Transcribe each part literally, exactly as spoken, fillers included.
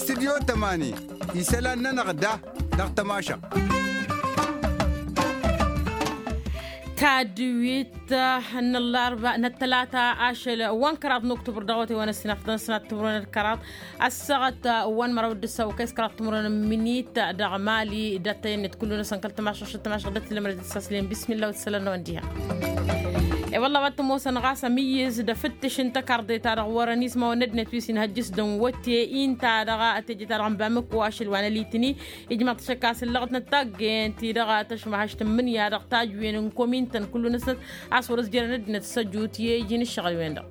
Studyo tămani isălan-nănăɣ da dăɣ-tămašăɣt. Tadwit n-ăllarba n-ăttălata ašăl wa n-kăraḍ n-oktubăr dăɣ-awătay wa n-ăssinafḍăn sănat timǝrwen d-kăraḍ ăssaɣăt wa n-măraw d-ǝssaw kăy-s kăraḍ timǝrwen n-imǝnit dăɣ-mali d-attăyăn-net kullu-năsăn kăl-tamašăɣ šăt tamašăɣ d-ătlǝmrăd d-ăssaslen bismillah wa t-sălăn n-awăn diha. E-wălla a-wa t-ămoosăn ɣas ămǝyyǝz d-afǝttǝš n-tăkarḍe-ta-dăɣ wărăn ismawăn n-ăddinăt wi s-inhăjjǝs d-ănwătte ǝnta-dăɣ teje-ta-dăɣ n-bamǝkku ašăl wa n-ălitǝni. Ijmăḍ-t šăkk a-s ǝllăɣăt n-ăttaggen-ti-dăɣ tăšmăhăš tǝmmǝnǝya dăɣ-tajǝwen n-komin-tăn kullu-năsnăt a-s wăr-ăzjărăn ăddinăt s-ăjut i-iji n-ǝššăɣǝl-wen-dăɣ.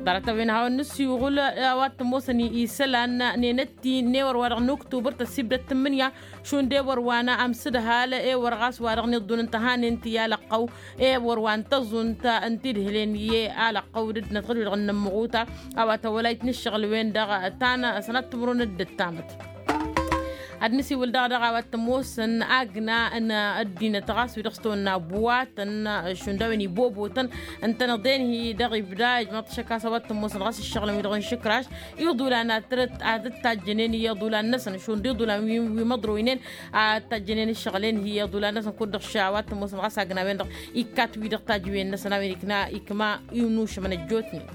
Ḍarăt-a-wen hawăn-nǝsiwǝl a-wa t-ămoosăn isălan n-enătti n-ewăr wa dăɣ-nǝktubăr tăssibdăt tǝmmǝnǝya šund ewăr wa n-amsǝdhal ewăr ɣas wa dăɣ-niḍḍun n-tăhanen ti alăqqăw ewăr wa n-tăẓunt n-tidhǝlen i-alăqqăw d-ăddinăt ɣǝd-wi-dăɣ n-inǝmmăɣuta a-wa tăwălayt n-ǝššăɣǝl-wen-dăɣ ta n-sănat timǝrwen d-ǝttamăt. Ad-nǝsiwǝl daɣ dăɣ-a-wa t-ămoosăn agna n-ăddinăt ɣas wi-dăɣ s-tăwănna buwatăn šund a-wen ibobotăn ǝntăneḍ enhi dăɣ-ibda ijmăḍ-t šăkk a-s a-wa t-ămoosăn ɣas ǝššăɣǝlăn wi-dăɣ n-išǝkraš iḍulan ad-t-dd-tajjănen i-iḍulan-năsăn šund iḍulan wi măḍroynen ad-t-tajjănen ǝššăɣǝl-en-hi i-iḍulan-năsăn kud-dăɣ š-a-wa t-ămoosăn ɣas agna-wen-dăɣ ikkat wi-dăɣ tajǝwen-năsăn a-wen ikna ikma inušămăn ăjjootnen.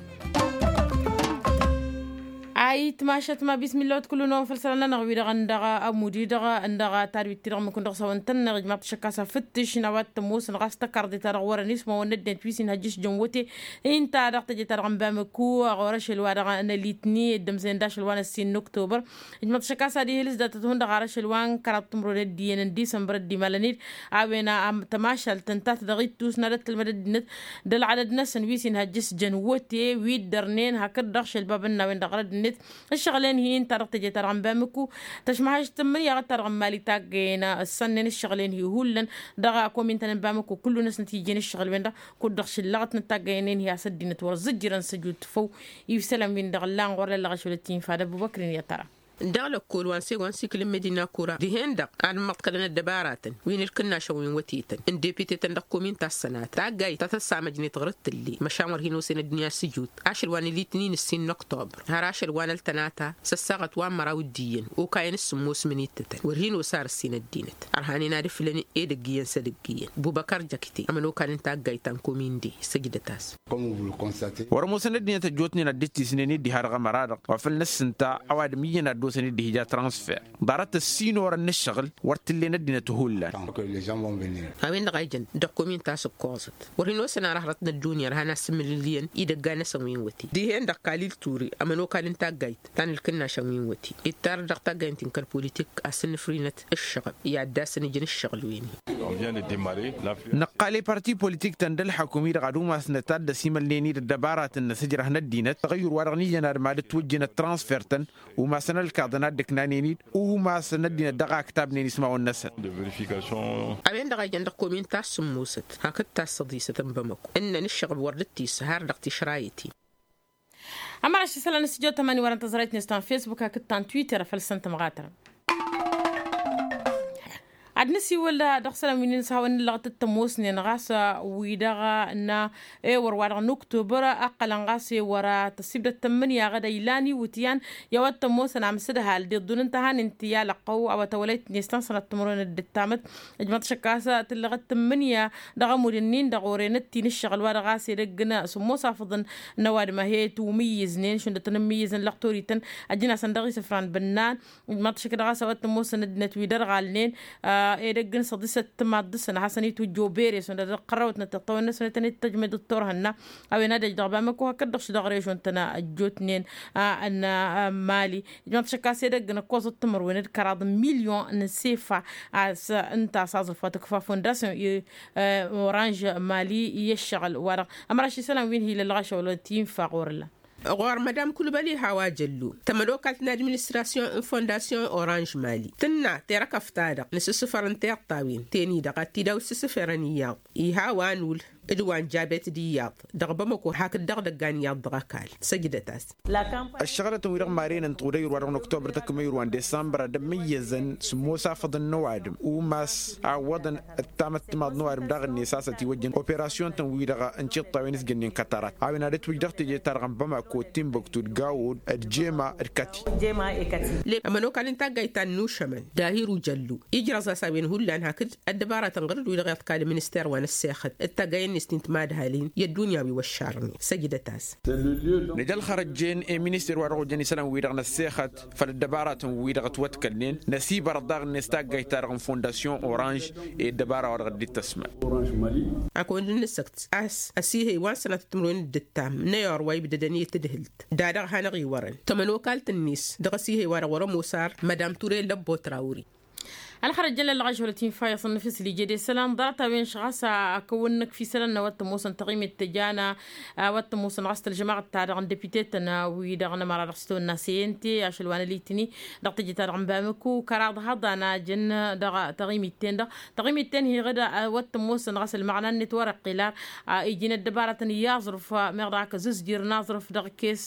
Ayǝtmašat ma bismillah wa t-kullu-năwăn făll-isălan-nănăɣ wi-dăɣ ǝndăɣ amud-i-dăɣ ǝndăɣ tadwit-ti-dăɣ mǝkun dăɣ-s a-wa n-tănnăɣ ijmaḍ-t šăkk a-s afǝttǝš n-a-wa t-ămoosăn ɣas tăkarḍe-ta-dăɣ wărăn ismawăn n-ăddinăt wi s-inhăjjǝš jăn wăte. Inta dăɣ-teje-ta-dăɣ n-bamǝkku ɣur-ašăl wa dăɣ-nălitni dd-ămzăyăn d-ašăl wa n-ăssin n-oktobăr. Ijmăḍ-t šăkk a-s ad-ihǝlǝs dat-ăthun dăɣ-ar ašăl wa n-kăraḍ timǝrwen d-iyyăn n-disămbăr dd-imalăn-dd a-wen tămašalt ǝnta-t dăɣ-ittus n-ad-ăttălmăd ăddinăt d-ălɣadăd-năsăn wi s-inhăjjǝs jăn wăte wi dd-ărnen hakd-dăɣ šălbabăn n-a-wen-dăɣ ɣărăd-net. Ǝššăɣǝl-en-hi ǝnta dăɣ-teje-ta-dăɣ n-bamǝkku tăšmăhăš tǝmmǝnǝya ɣǝd-ta-dăɣ n-mali taggăyăn ǝssănnen ǝššăɣǝl-en-hi hullan dăɣ-akomin-tăn n-bamǝkku kullu-năsnăt ijăn ǝššăɣǝl-wen-dăɣ kud-dăɣ šǝllăɣăt n-taggăyăn-en-hi a-s ăddinăt wăr zǝjjǝrăn s-ăjut făw. Ifsălăn-win-dăɣ ǝllan ɣur-lăllăɣ ašăl ăttinfa d-ăbubăkr-in i-ad-tăra. Dăɣ-lăkkol wa n-segon sikǝl n-medina kura dihen-dăɣ ad-măḍkălăn ăddăbaratăn wi n-ǝlkǝnnašăn wi n-wătetăn n-depite-tăn dăɣ-komin ta s-sănatăn taggayt ta tăssamăjnet ɣur-ǝttǝlle. Măšan wăr hin-osăn ăddunya s-ijut ašăl wa n-alitnin ǝssin n-oktobăr har ašăl wa n-ăltănata s-ăssaɣăt wa n-măraw d-iyyăn okayăn s-sǝmmos mǝnittătăn wăr hin-osa ar ǝssin ăddinăt ărhanen ad-ǝflăn edăgg iyyăn s-edăgg iyyăn. Bubăkar jăkte ămănokal n-taggayt ta n-kominde săjdăt-as. Wăr-ămoosăn ăddinăt ăjjootnen ad-dd-tisnen i-dd-iha dăɣ-ămăra-dăɣ wa făl năssǝnta ăwadǝm iyyăn ad-dd-osăn i-dd-ihǝja transfer. Ḍarăt ăssinor ănnăššăɣǝl wăr t-ǝllen ăddinăt hullan. A-wen-dăɣ a ijăn dăɣ-komin ta s-ǝkkoẓăt wăr hin-osăn ara hărăt n-ăddunya ărhan asǝmmǝlǝl iyyăn idăgga-năsăn wi n-wăte dihen-dăɣ kalil ture ămănokal n-taggayt ta n-ǝlkǝnnašăn wi n-wăte ittar dăɣ-taggayt n-ti n-kăl-politik a-s ǝnnǝfrinăt ǝššăɣǝb i-ad-dd-asăn ijăn ǝššăɣǝl-wen-hi. Năqqal i-parti politik-tăn d-ălḥăkum-i-dăɣ ad-umasnăt ad-dd-ăsimălnen-dd ăddăbaratăn n-asǝjrăh n-ăddinăt tăɣăyyur wa dăɣ-nijăn ad-mad-ǝtwǝjjǝnăt transfer-tăn. Umasăn ălkaḍăn ad-ǝknanen-dd umasăn ăddinăt dăɣ-a ǝktabnen ismawăn-năsăn. A-wen-dăɣ a ijăn dăɣ-komin ta s-sǝmmosăt hakd ta s-săḍisăt n-bamăko ǝnnăn ǝššăɣǝb wăr dd-tissǝhar dăɣ-tišrayăt-in. Ămăraš isălan n-stujo tămani wărăn tăẓrayt-net ta n-fesbuk hakd ta n-twitter făll-săn tămɣatărăn. Ad-nǝsiwǝl dăɣ-isălan wi n-inǝshawăn n-lăɣtăt tămoosnen ɣas wi-dăɣ n-ewăr wa dăɣ-n oktobăr ăqqălăn ɣas ewăr tăssibdăt tămmǝnǝya ɣǝd ăylan iwǝtyan. I-a-wa t-ămoosăn amsǝdhal d-iḍḍun n-tăhanen ti alăqqăw a-wa tăwălayt-net ta n-sănat timǝrwen d-ǝttamăt. Ǝjmăḍ šăkk a-s tǝllăɣăt tǝmmǝnǝya dăɣ-ămudd-ǝnnin-dăɣ orăynăt-t-in ǝššăɣǝl wa dăɣ-a-s edăgg n-sǝmmos afǝḍăn n-ăwadǝm a he-tǝwmǝyyǝznen šund ad-tăn-ǝmmǝyyǝzăn lăqtor-ităn. Ăjjǝn-asăn dăɣ-isǝfran bǝnnan. Ǝjmăḍ šăkk dăɣ-a-s a-wa t-ămoosăn ăddinăt wi dărɣalnen edăgg n-săḍisăt timaḍ dăɣ-săn ad-hasăn-itwǝjja obere šund ad-ăqqărrăwătnăt tiṭṭawăn-năsnăt ad-tăn-dd-tăjmăd d-turhănna. A-wen ad-ăj dăɣ-bamăko hakd-dăɣ šăl dăɣ-režon-tăn ăjjootnen n-mali. Ǝjmăḍ šăkk a-s edăgg n-ǝkkoẓăt timǝrwen d-kăraḍ n-milyon n-sefa. A-s ǝnta a-s aẓrǝf wa tǝkfa fondasyon oranž mali i-ăššăɣǝl-wa-dăɣ. Ămăraš isălan wi n-hi-lălɣăšăwăl ti-infa ɣur-ǝllan. Ɣur-mădam kulbăl iha wa jăllu tămădokalt n-administrasyon n-fondasyon oranž mali tǝnna terăkăft-ta-dăɣ n-asǝssǝfăr n-tiṭṭawen ten-i-dăɣ ad-t-dd-awǝssǝssǝferăn iyyăḍ. Iha wa n-ul. d-wa n-jabet d-iyyăḍ dăɣ-bamăko hakd dăɣ-dăggan iyyăḍ dăɣ-ăkall. Săjdăt-as. Ăššăɣǝlătăn-wi-dăɣ maren n-tuɣdăy ǝrwa dăɣ-năktobăr tăkmăy ǝrwa n-disămbăr ad-ămmăyyăzăn sǝmmos afăḍăn n-ăwadǝm umas a ǝwwăḍăn ăttamăt timaḍ n-ăwadǝm daɣ-net a-s ătiwăjjăn operasyon-tăn-wi-dăɣ n-tiṭṭawen s-jănnen kătărat a-wen ad-ătwǝj dăɣ-teje-ta-dăɣ n-bamako d-timbuktu d-gawod d-jema d-kati. Ămănokal n-taggayt ta n-inušămăn dahiru jăllu ijrăẓ-as a-wen hullan hakd ăddăbaratăn ɣǝr-dd wi-dăɣ iḍkal minister wa n-ăssexăt d-taggayen-net ti n-timadhalin i-ăddunya wi wăššarnen. Săjdăt-as. Nǝj ălxărăjjen i-minister wa dăɣ-ojăn isălan-wi-dăɣ n-ăssexăt făll-ăddăbaratăn-wi-dăɣ ătwătkălnen năsibărăḍ daɣ-net taggayt-ta-dăɣ n-fondasyon oranž i-ăddăbara wa dăɣ-dd-ittăsmăl. Ad-kăwăn-dd-nǝssăkt a-s ăsihăy wa n-sănatăt timǝrwen d-ǝttam n-ayor wa ibdădăn i-tadhǝlt da-dăɣ hanăɣ-iwărăn tămănokalt-net dăɣ-ăsihăy wa dăɣ-wăr-ămoos ar madam ture lăbbo trawri. Ălxărăjjăn lălɣăš hulăt infa iyyăḍ n-nǝfǝs lijedesălan ḍarăt-a-wen šăɣ-a-s akăwăn-năkf isălan n-a-wa t-ămoosăn taɣimit tăjana a-wa t-ămoosăn ɣas tălžămaɣăt-ta-dăɣ n-depite-tăn wi-dăɣ n-ămăra dăɣ-s tăwănna seyente ašăl wa n-alitni dăɣ-teje-ta-dăɣ n-bamǝku kăraḍ hăḍan a jăn dăɣ-taɣimit-ten-dăɣ taɣimit-ten-hi ɣǝd a-wa t-ămoosăn ɣas ălmăɣna-net wăr-ăqqel ar iji n-ăddăbarătăn i-aẓrǝf meɣ dăɣ-ak ăzǝzjir n-aẓrǝf dăɣ-kes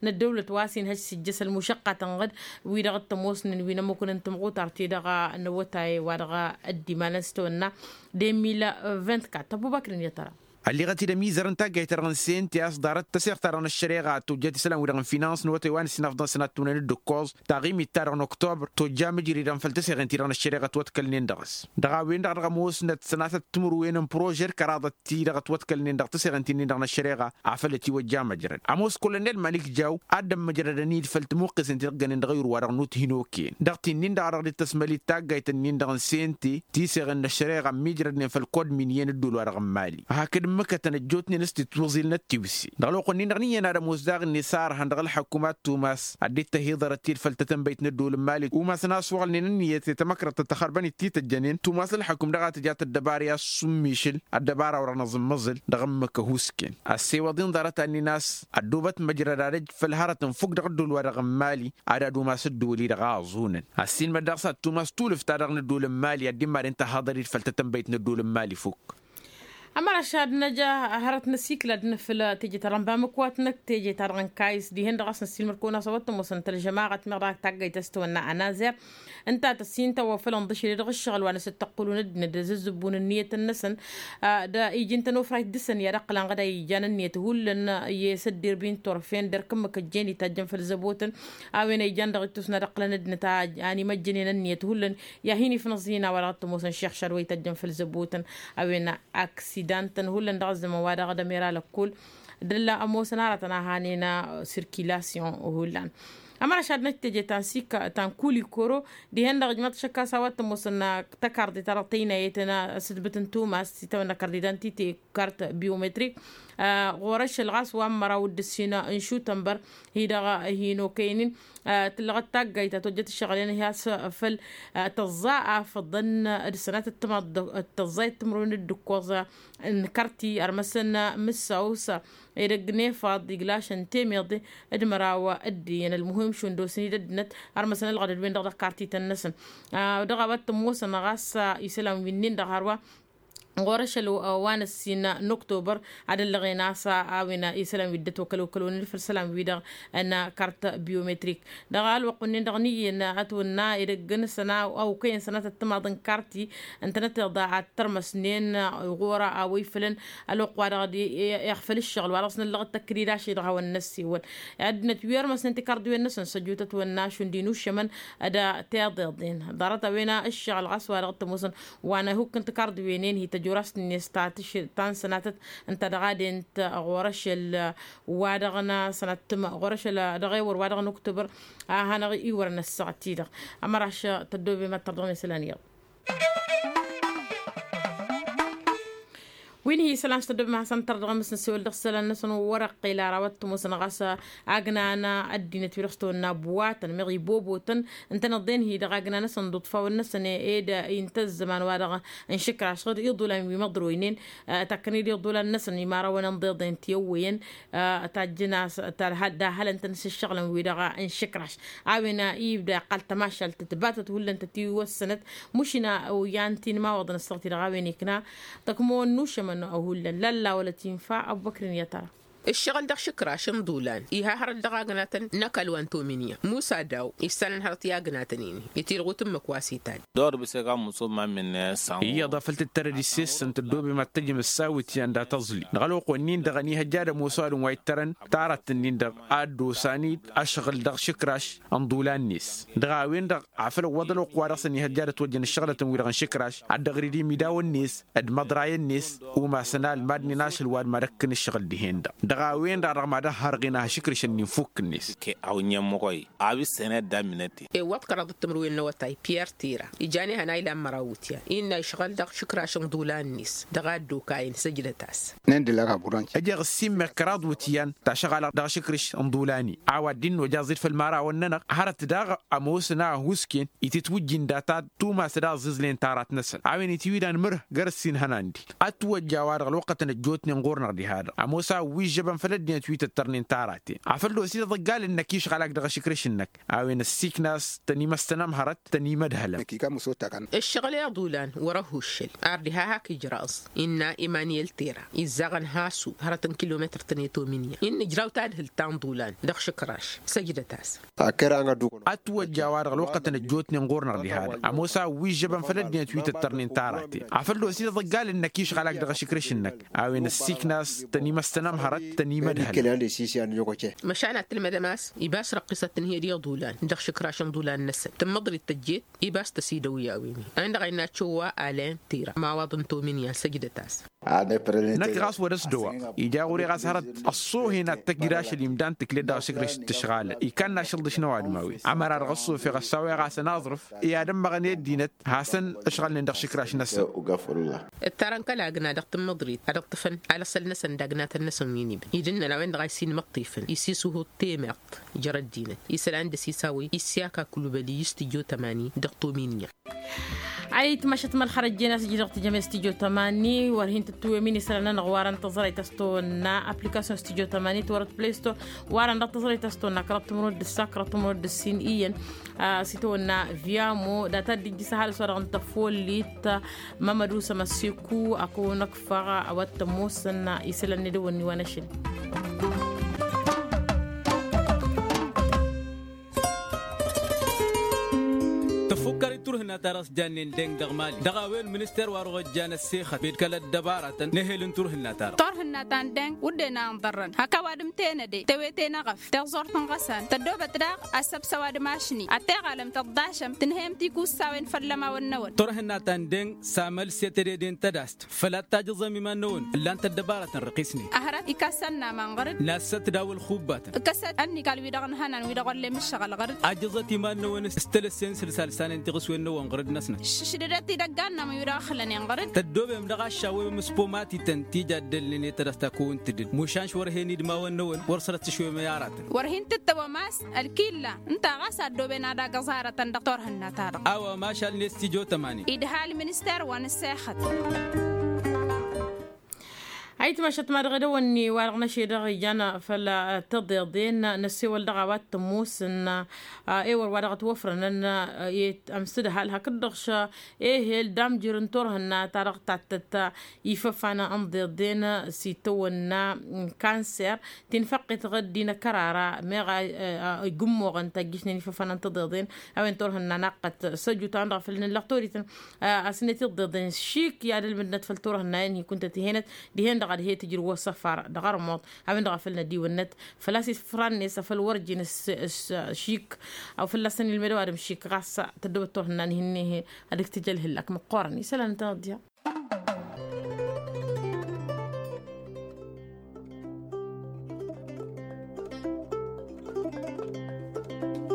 n-ăddăwlăt wa s-inhăj s-ijjăs ălmušăqqatăn ɣǝd wi-dăɣ t-ămoosnen wi n-ămmukǝn n-tǝmɣutart-i-dăɣ n-awătay wa dăɣ-ăddimalăn s-tawănna de mil vint-kat ăbubakr n-iyyăt ăra. Ălliɣăt-dd ămizăr n-taggayt-ta-dăɣ n-sente a-s ḍarăt taseɣt-ta-dăɣ n-ăššăreɣa tojjăt isălan-wi-dăɣ n-finans n-awătay wa n-ǝssin afḍăn sănat timǝrwen d-ǝkkoẓ taɣimit-ta-dăɣ n-oktobăr tojja mǝjridăn făll-taseɣen-ti-dăɣ n-ăššăreɣa ătwătkălnen dăɣ-s dăɣ-a-wen-dăɣ dăɣ-ămoosnăt sănatăt timǝrwen n-prožer kăraḍăt-ti-dăɣ ătwătkălnen dăɣ-taseɣen-ti-nin-dăɣ n-ăššăreɣa afăl ătiwăjja măjrăd ămoos kolonel malik jaw ad-dd-ămmăjrădăn-dd făll-timuqqesen ti dăɣ-jănen dăɣ-ayǝr-wa-dăɣ n-uthin okăyăn dăɣ-ti-nin-dăɣ a dăɣ-dd-tăsmăl-dd taggayt-nin-dăɣ n-sente tiseɣen n-ăššăreɣa ămmiijrădnen făll-kod miniyăn ǝddul wa dăɣ-n mali hakd ǝmmǝkătăn ăjjootnen s-titwǝẓil n-ăttiwǝse dăɣ-ălwăqq-nin-dăɣ n-iyyăn ad-ămoos daɣ-net a ărhăn dăɣ-ălḥăkkum ad-tumas ad-dd-tăhiḍărăt-dd făll-tatănbăyt n-ăddul n-mali umasăn a-s wăɣlnen ǝnniyăt i-tamăkrăḍt tăxărbăn-dd tităjjănen tumas ălḥăkkum dăɣ-a tǝja tăddăbara i-ad-summišǝl ăddăbara wăr-năẓǝmmăẓǝl dăɣ-ǝmmǝk ăhuusken ăssewăḍ-in ḍarăt-annin a-s ăddoobăt măjrăd ad-ăj făll-hărăt n-fukk dăɣ-ăddol wa dăɣ-n mali ad-ad-umas ăddol-i-dăɣ a ăẓunăn ăssiinmăd dăɣ-s ad-tumas tulǝft-ta-dăɣ n-ăddol n-mali ad-dd-imaren tăhaḍăr-dd făll-tatănbăyt n-ăddol n-mali fukk. Ămăraš ad-năj hărăt n-asikǝl ad-nǝfǝl teje-ta-dăɣ n-bamǝkwatnăk teje-ta-dăɣ n-kayǝs dihen-dăɣ a-s năssiilmăr-kăwăn a-s a-wa t-ămoosăn tălžămaɣăt meɣ dăɣ-ak taggayt a-s tawănna ănazer ǝnta a tăssin tawăfălăn d-ašăl i-dăɣ ǝššăɣǝl wa n-asǝttăqqǝlun ăddinăt d-azǝzzǝbbun ǝnniyăt-năsăn d-ijǝn-tăn ofrayt dăɣ-săn i-ad-ăqqǝlăn ɣǝd a ijan ǝnniyăt hullan i-asăddirb-in turfen d-erk-ǝmmǝk ăjjeen ităjjăn făll-zăbotăn a-wen a ijan dăɣ-ittus n-ad-ăqqǝlăn ăddinăt a animăjjănen ǝnniyăt hullan i-ad-hin-ifnăẓ-in a-wa dăɣ-t-ămoosăn šixšad wa ităjjăn făll-zăbotăn a-wen aksida n-tăn hullan dăɣ-ăzzăman wa dăɣ-dămera lăkkol d-ămoosăn aratăn a hanen sirkilasyon hullan. Ămăraš ad-năj teje ta n-sika ta n-kulikoro dihen-dăɣ ǝjmăḍ šăkkas a-wa t-ămoosăn tăkarḍe-ta-dăɣ tăynayăt n-asǝdbǝt n-tumas s-itawănna kărdidan tite kart biometrik ɣur-ašăl ɣas wa n-măraw d-ǝssin n-šutănbăr hi-dăɣ hin-okăynen tǝllăɣăt taggayt ta tojjăt ǝššăɣǝl-en hi-has făll-tăẓẓa afăḍăn d-sănatăt tăẓẓayăt timǝrwen d-ǝkkoẓ n-kărti ărmăsăn mǝssaw s-edăgg n-efaḍ iglašăn temeḍe d-măraw d-iyyăn ălmuhim šund osǝn-dd ăddinăt ărmăsăn ălɣădăd-wen-dăɣ dăɣ-kartităn-năsăn. Dăɣ-a-wa t-ămoosăn ɣas isălan wi-nin-dăɣ hărwa ɣur-ašăl wa n-ăssin n-oktobăr ad-ăllăɣen a-s a-wen isălan wi dd-ătwăkăl okăl-wen făll-isălan-wi-dăɣ n-kart biometrik. Dăɣ-ălwăqq-nin-dăɣ n-iyyăn ătwănna edăgg n-săna a okăyăn sănatăt timaḍ n-karti ǝntănăt iḍa ad-tărmăsnen ɣur-a-wa ifălăn ălwăqq-wa-dăɣ d-iɣfăl ǝššăɣǝl wa dăɣ-s năllăɣ d-tăkridashe dăɣ-hawăn-năssiwăl. Ăddinăt wi ărmăsnen tikărḍiwen-năsăn săjutăt wănna šund inušămăn d-tiḍeḍen ḍarăt-a-wen ǝššăɣǝl ɣas wa dăɣ-t ămoosăn wa n-ehuk n-tikărḍiwen-en hi-tăjorast-net ta n-sănatăt ǝnta dăɣ-adent ɣur-ašăl wa dăɣ-năsănăt ɣur-ašăl dăɣ-ewăr wa dăɣ-nǝktǝbăr a hanăɣ-iwărăn ăssaɣăt-i-dăɣ. Ămăraš tăddoobem ad-tărdăɣem isălan iyyăḍ. Wi n-hi isălan s-tăddoobem ad-hasăn-tărdăɣem s-nǝssewăl dăɣ-isălan-năsăn wăr-ăqqel ara wa t-ămoosăn ɣas agna n-ăddinăt wi dăɣ-s tăwănna buwatăn meɣ ibobotăn ǝntăneḍ-en hi-dăɣ agna-năsăn d-uḍfawăn-năsăn ed inta ăzzăman wa dăɣ-nǝšǝkraš ɣǝd iḍulan wi măḍroynen. Takkăn-dd iḍulan-năsăn imarăwăn ănḍeḍen ti ăwwăyăn tajjăn a-s d-ahălăn-tăn s-ǝššăɣǝlăn wi-dăɣ n-išǝkraš a-wen ibda iqqal tămašalt tǝtbatăt hullan tătiwăssănăt. Mušina oyan ti n-imawăḍăn ăssaɣăt-i-dăɣ a-wen ikna tăkmăwăn n-ušămăn. Hullan lalla wăla tinfa ăbbăkrin i-ad-tăra. Ǝššăɣǝl dăɣ-išǝkraš n-iḍulan iha hărăt dăɣ-agnatăn n-ăkall wa n-tominya musa daw. Issanăn hărăt i-agnatăn-in itirɣut n-imǝk wa s-itan. Dor bǝsek a muso ma minne. Iyyăḍ a făl tǝttărăd issessăn tăddoobem ad-tăjjăm ăssawǝtyan dat-aẓli dăɣ-ălwăqq-wen-in-dăɣ ănihăjja ad-ămoos ăwadǝm wa ittărăn taratăn-in-dăɣ ad-dd-osan-dd ašăɣǝl dăɣ-išǝkraš n-iḍulan-net. Dăɣ-a-wen-dăɣ afăl ǝwwăḍ ălwăqq-wa-dăɣ s-ănihăjja ad-ătwăjjăn ǝššăɣlătăn-wi-dăɣ n-išǝkraš ad-dd-ăɣrid imidawăn-net d-imaḍrayăn-net. Umasăn almad-nin ašăl wa d-mad-ăkkăn ǝššăɣǝl dihen-dăɣ dăɣ-a-wen-dăɣ dăɣ-mad-ăhhărɣen ahăšǝkrǝšăn n-infukk-net. Kăy-awǝnyăn măɣoy a-wa ǝssenăt d-amminăt-in. Iwwăḍ kăraḍăt timǝrwen n-awătay piyăr tira ijan ihăn a ilan măraw iwǝtyan innă išɣăl dăɣ-išǝkraš n-iḍulan-net dăɣ-a dd-okayăn săjdăt-as. Ăjeɣ ǝssin meɣ kăraḍ iwǝtyan tašăɣalăɣ dăɣ-išǝkrǝš n-iḍulan-i a-wa dd-innojăẓ-dd făll-imărawăn-nănăɣ hărăt daɣ ămoosăn a ăhuusken itǝtwǝjjǝn data tumas d-aẓẓiẓlen tarat-năsăn a-wen itwǝydan mǝrh găr-ǝssin ihănan-di. Ătwăjja-wa-dăɣ ălwăqqătăn ăjjootnen ɣur-năɣ diha-dăɣ ămoos a ǝwwižžăbăn făll-ăddinăt wi tăttărnen taraten afăl d-osidăḍ ăggal-năk išɣălak dăɣ-ašǝkrǝš-năk. A-wen ăssiiknas tăn-imăstănămhărăt tăn-imădhălăn. Ǝššăɣǝl i-iḍulan wăr-ăhuššăl ar diha hak ijraẓ innă imaniyăl tera izzaɣăn hasu hărăt n-kilometăr-tăn i-tominya innă ǝjraw tadhǝlt ta n-iḍulan dăɣ-išǝkraš. Săjdăt-as. Ătwăjja-wa-dăɣ ălwăqqătăn ăjjootnen ɣur-năɣ diha-dăɣ ămoos a ǝwwižžăbăn făll-ăddinăt wi tăttărnen tarate afăl d-osidăḍ ăggal-năk išɣălak dăɣ-ašǝkrǝš-năk. A-wen ăssiiknas tăn-imăstănămhărăt tăn-imădhăl. Măšan ad-tǝlmădăm a-s ibas răqqisăt tǝnhǝyăd i-iḍulan dăɣ-išǝkraš n-iḍulan-năsăn tǝmmăḍrit tăjjeet ibas tăsidăw i-a-wen-i a-wen-dăɣ a innă aččăw wa alăn tira mawaḍ n-tomin i-ad-săjdăt-as. Năkk ɣas wăr-ăsdăwăɣ ija ɣur-e ɣas hărăt ăṣṣoohen ad-tăjjǝd ašăl imdan tǝklet dăɣ-ašǝkrǝš d-tǝšɣalăn ikannă ašăl d-ašnăwadǝm a-wen ămăra-dăɣ ăṣṣoofeɣ ăssaweɣ-asăn aẓrǝf i-ad-ămmăɣăn i-ăddinăt hasăn-ǝšɣălnen dăɣ-išǝkraš-năsăn. Ǝttarăn kăla agna dăɣ-tǝmmǝḍrit ad-ǝṭṭǝfăn alăṣṣăl-năsăn d-agnatăn-năsăn wi n-ibn idǝnnăn a-wen-dăɣ a issin imǝṭṭifăn isisuhǝḍ temeɣt. Jăr ăddinăt isălan d-ăsisawăy issyaka kǝlubăl i-istǝjo tămani dăɣ-tominya. Ayǝtmašăt mălxărăt jen a-s ǝjǝdăɣ tǝjăm i-stǝjo tămani wăr hin-tǝttǝwem-in isălan-nănăɣ warăn tăẓrăyt a-s tăwănna aplikasyon stǝjo tămani tiwărăt play store warăn dăɣ-tăẓrăyt a-s tăwănna kăraḍ timǝrwen d-ǝssa kăraḍ timǝrwen d-ǝssin iyyăn. A-s itawănna vyamo data dd-ijjǝs ăhalǝs wa dăɣ-n tăfollit. Mămădusăm ăssiku akăwăn-ăkfăɣ a-wa t-ămoosăn isălan n-edăwănni wa n-ašăl. Tăfukkăr i-turhǝnna-ta-dăɣ s-jannen deng dăɣ-mali dăɣ-a-wen minister wa dăɣ-ojjan ăssexăt ed kăl-ăddăbaratăn n-ehel n-turhǝnna-ta-dăɣ. Turhǝnna ta n-deng wăr dd-en a ănḍărrăn hak ăwadǝm tenăde tewete n-eɣăf teẓẓurt n-iɣăsan tăddoobăt daɣ ăssăbs ăwadǝm ašni ad-teɣalăm tăḍḍašăm tǝnhăyăm tikussawen făll-ămawăn-năwăn. Turhǝnna ta n-deng s-amăl s-e tedede n-tădast făl ad-tajǝẓăm iman-năwăn ǝllan-t ăddăbaratăn răqisnen. Ăhrăt ikassan n-aman ɣăr-dd. Nassăt daw-ălxubbatăn. Ǝkkăsăt ănnikal-wi-dăɣ ǝnhănan wi-dăɣ wăr lem ǝššăɣǝl ɣăr-dd. Ajǝẓăt iman-năwăn s-tălăssen sǝlsal s-anen tiɣǝswen-năwăn ɣăr-dd-năsnăt. Šǝšdădăt idăggan n-amăn wi-dăɣ ăxlănen ɣăr-dd. Tăddoobem dăɣ-aššawem s-pomatităn ti jaddălnen i-tadast a kăwăn-tǝdǝd mušan š-wăr hen-idmawăn-năwăn wăr sărăt s-išwemăy aratăn. Wăr hin-tǝttăwăm a-s ălkilla ǝnta ɣas a ăddooben ad-agǝẓ aratăn dăɣ-turhǝnna-ta-dăɣ. A-wa mašal n-estijotămani idha ălminister wa n-ǝssexăt. Ayǝtmašăt ma dăɣ-edăwănni wa dăɣ-năšedăɣ ijan făll-tăḍeḍen n-ăssewăl dăɣ-a-wa t-ămoosăn. Ewăr wa dăɣ-ătwăfrănăn i-ămsǝdhal hakd-dăɣ š-ehel d-amjǝr n-turhǝnna-ta-dăɣ tattăt ifăfan n-iḍeḍen s-itawănna kanser. Tinfăqqet ɣǝd d-inăkkărara meɣ a igǝmmoɣăn tajjǝšnen ifăfan n-tiḍeḍen. A-wen turhǝnna naqqăt săju ta-wen-dăɣ a făl nǝllăɣ torităn. A-s net iḍeḍen šik i-ad-ǝlmǝdnăt făll-turhǝnna-en hi-kuntăt ihenăt dihen-dăɣ ad-he-tǝjrǝw ăssăfar dăɣ-armuḍ. A-wen-dăɣ a făl nădiwănnăt făl-a-s ifran-net a făl wăr ǝjǝn šik. Aw fălla-săn ilmed ăwadǝm šik ɣas tăddobăt turhǝnna n-ihǝnne-he ad-ǝktǝj ălhǝllak măqqoorăn isălan n-tanăḍya.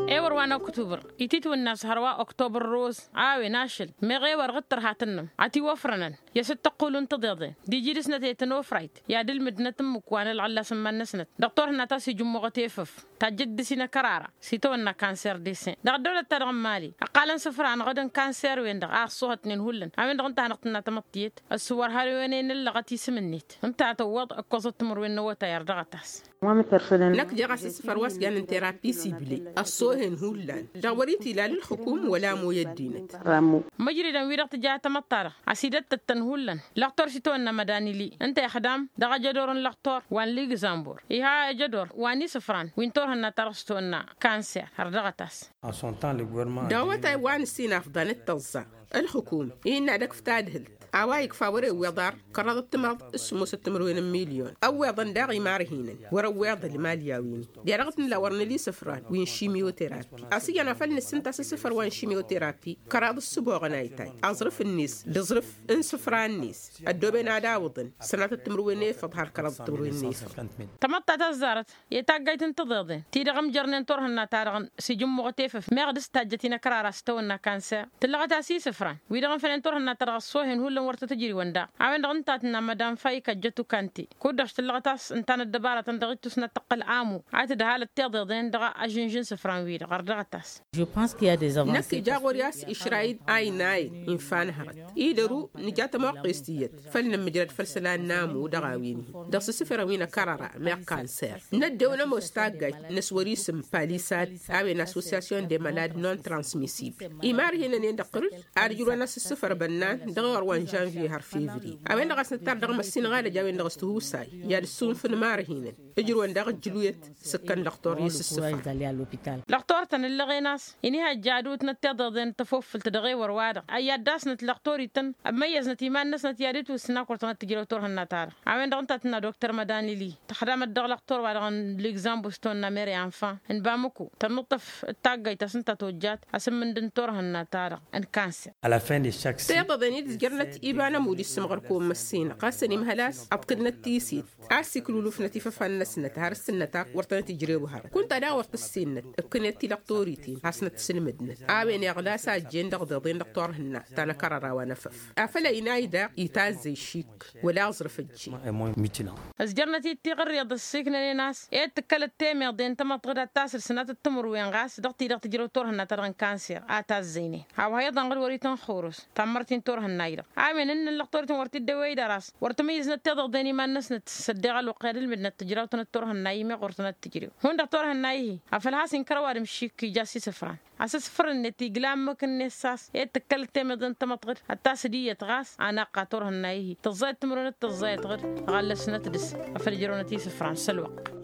Ewăr wa n-oktubăr ititwǝnna a-s hărwa oktubăr roz. A-wen ašăl meɣ ewăr ɣǝd tărha tǝnnăm ătiwăfrănăn i-asǝttăqqulu n-tiḍeḍen d-iji dăɣ-snăt i-tăn-ofrayt i-ad-ǝlmǝdnăt ǝmmǝk wa n-ălɣăllas n-iman-năsnăt dăɣ-turhǝnna ta s-ijǝmmuɣăt efăf. tajjăt dăr-s inăkărara s-itawănna kanser desen dăɣ-ăddăwlăt-ta-dăɣ n-imali ăqqalăn isǝfra ănɣădăn kanser-wen-dăɣ a ăṣṣuhătnen hullan a-wen-dăɣ ǝnta a hanăɣ-tǝnna tamăḍt tiyyăt. Ăssǝwwăr har-wen-en ǝllăɣăt isǝm-net ǝnta a tăwwăḍ ǝkkoẓăt timǝrwen n-awătay ărdăɣăt-as. Năkk jeɣ-as ǝssǝfăr wa s-jannen terapi sibli ăṣṣoohen hullan dăɣ-wăr-itilal ǝlxǝkum wăla amoy ăddinăt. Măjridăn-wi-dăɣ tǝja tamăḍt-ta-dăɣ a-s idăt-tăttăn hullan lăxtor s-itawănna mădanili ǝnta ixdam dăɣ-ajădor n-lăxtor wa n-ligzămbur iha ajădor wa n-isǝfran wi n-turhǝnna-ta-dăɣ s-tawănna kanser har dăɣ-ătas. Dăɣ-awătay wa n-ǝssin afḍan d-tăẓẓa ǝlxǝkum ihinna ad-ăkf tadhǝlt a-wa ikfa wăr-ewweḍ ar kăraḍăt timraḍ s-sǝmmosăt timǝrwen n-milyon ăwweḍăn daɣ imarhinăn wăr-ăwweḍ ălmal i-a-win-i. Derăɣ d-nǝla wăr nǝla isǝfran wi n-šimiyoterapi a-s iyyăn a făl nǝssǝnta s-isǝfăr wa n-šimiyoterapi kăraḍ ǝssǝboɣăn a itay aẓrǝf-net d-aẓrǝf n-isǝfra-net ăddooben ad-awǝḍăn sănatăt timǝrwen efăḍ har kăraḍăt timǝrwen n-efăḍ. Tamăḍt ta tăzzarăt i-taggayt n-tiḍeḍen ti-dăɣ ǝmjărnen turhǝnna-ta-dăɣ s-ijǝmmuɣăt efăf meɣ dăr-s tajjăt inăkrara s-tawănna kanser tǝllăɣăt-as isǝfran wi-dăɣ n-fănen turhǝnna-ta-dăɣ ăṣṣoohen hullan wăr tăt-ǝjriwăn daɣ. A-wen-dăɣ ǝnta a tǝnna mădam fayik ăjjăt ukante kud-dăɣ s-tǝllăɣăt a-s ǝnta n-ăddăbaratăn dăɣ-ittus n-ad-tǝqqǝl amu a tǝdhal ăttiḍeḍen dăɣ-ažǝnžǝn isǝfran-wi-dăɣ ărdăɣăt-as. Năkk ija ɣur-i a-s išrayǝd aynayen infa n-hărăt idăru nǝja tămoqqes tiyyăt făl nǝmmǝjrăd făll-isălan n-amu dăɣ-a-wen-hi dăɣ-s isǝfrăn wi n-akărăra meɣ kanser. Năddew nămoos taggayt n-ăswăr isǝm palisad a-wen assosyasyon de malad non-transmissibl imarhinăn-en dăɣ-tărǝd ad-ǝjrǝwăn a-s ǝssǝfăr bănnan dăɣ-iɣăr wa n-žănvye har fevriye. A-wen-dăɣ a-s nǝttar dăɣ-măssin ɣalăj a-wen-dăɣ s-tihusay i-ad-ǝssunfǝn imarhinăn ǝjrǝwăn daɣ ǝjjǝluyăt s-ǝkkăn lăxtor i-sǝssǝfan. Lăxtor-tăn ǝllăɣen a-s inihăjja ad-utnăt tiḍeḍen tăfofǝlt dăɣ-ewăr-wa-dăɣ ăyy ad-dd-asnăt lăxtor-ităn ămmăyyăznăt iman-năsnăt i-ad-itwǝsna kăwăr tănăt-tǝjrew turhǝnna-ta-dăɣ. A-wen-dăɣ ǝnta a tǝnna dokter mădanili tăxdamăt dăɣ-lăxtor wa dăɣ-n ligzambus tăwănna mere anfa n-bamǝku tănnuṭṭăf d-taggayt a-s ǝnta tojjat asǝmmǝnd n-turhǝnna-ta-dăɣ n-kanser. Tiḍeḍen-i d-ǝzjărnăt iba n-ămudd issǝmɣăr kăwăn-măssinăɣ ɣasăn imhăl a-s ăḍkǝdnăt tiset a-s iklulufnăt ifăfan-năsnăt har ǝssǝnnăt ak wăr tănăt-ijrew hărăt kunta daɣ wăr tǝssinăt ǝkkǝnet tilăqtoritin hasnăt tǝsǝlmǝdnăt. A-wen iɣlas a ăjjeen dăɣ-iḍeḍen dăɣ-turhǝnna ta n-akărăra wa n-efăf afăl ăynay daɣ itazzăy šik wăla aẓrǝf ăjjeen. Ǝzjărnăt-dd tiɣǝrriḍ ǝssiknănen a-s ed tǝkkălăt temeḍen tamăḍt ɣǝd ad-tasǝl sănatăt timǝrwen ɣas dăɣ-ti-dăɣ tǝjrew turhǝnna-ta-dăɣ n-kanser a tazzăynen. A-wa iḍan ɣǝd wăr-itănxurǝs tammărt-in turhǝnna-i-dăɣ a-wen ǝnnăn lăqtor-ităn wăr t-dd-ewăy d-ăras wăr tǝmǝyyǝznăt tiḍeḍen iman-năsnăt s-ăddeɣ ălwăqq i-ad-ǝlmǝdnăt tǝjraw-tăn d-turhǝnna-i meɣ wăr tănăt-tǝjrew hundăɣ turhǝnna-i-hi. Afăl has-inkăr ăwadǝm šik ija s-isǝfran asǝsfăr-net igla ǝmmǝk-net s-a-s ed tǝkkălăt temeḍe n-tamăḍt ɣǝd ad-tasǝd iyyăt ɣas anaqqa turhǝnna-i-hi tǝẓẓayăt timǝrwen d-tǝẓẓayăt ɣǝd ɣallăsnăt dăr-s afăl ǝjrăwnăt isǝfran s-ălwăqq.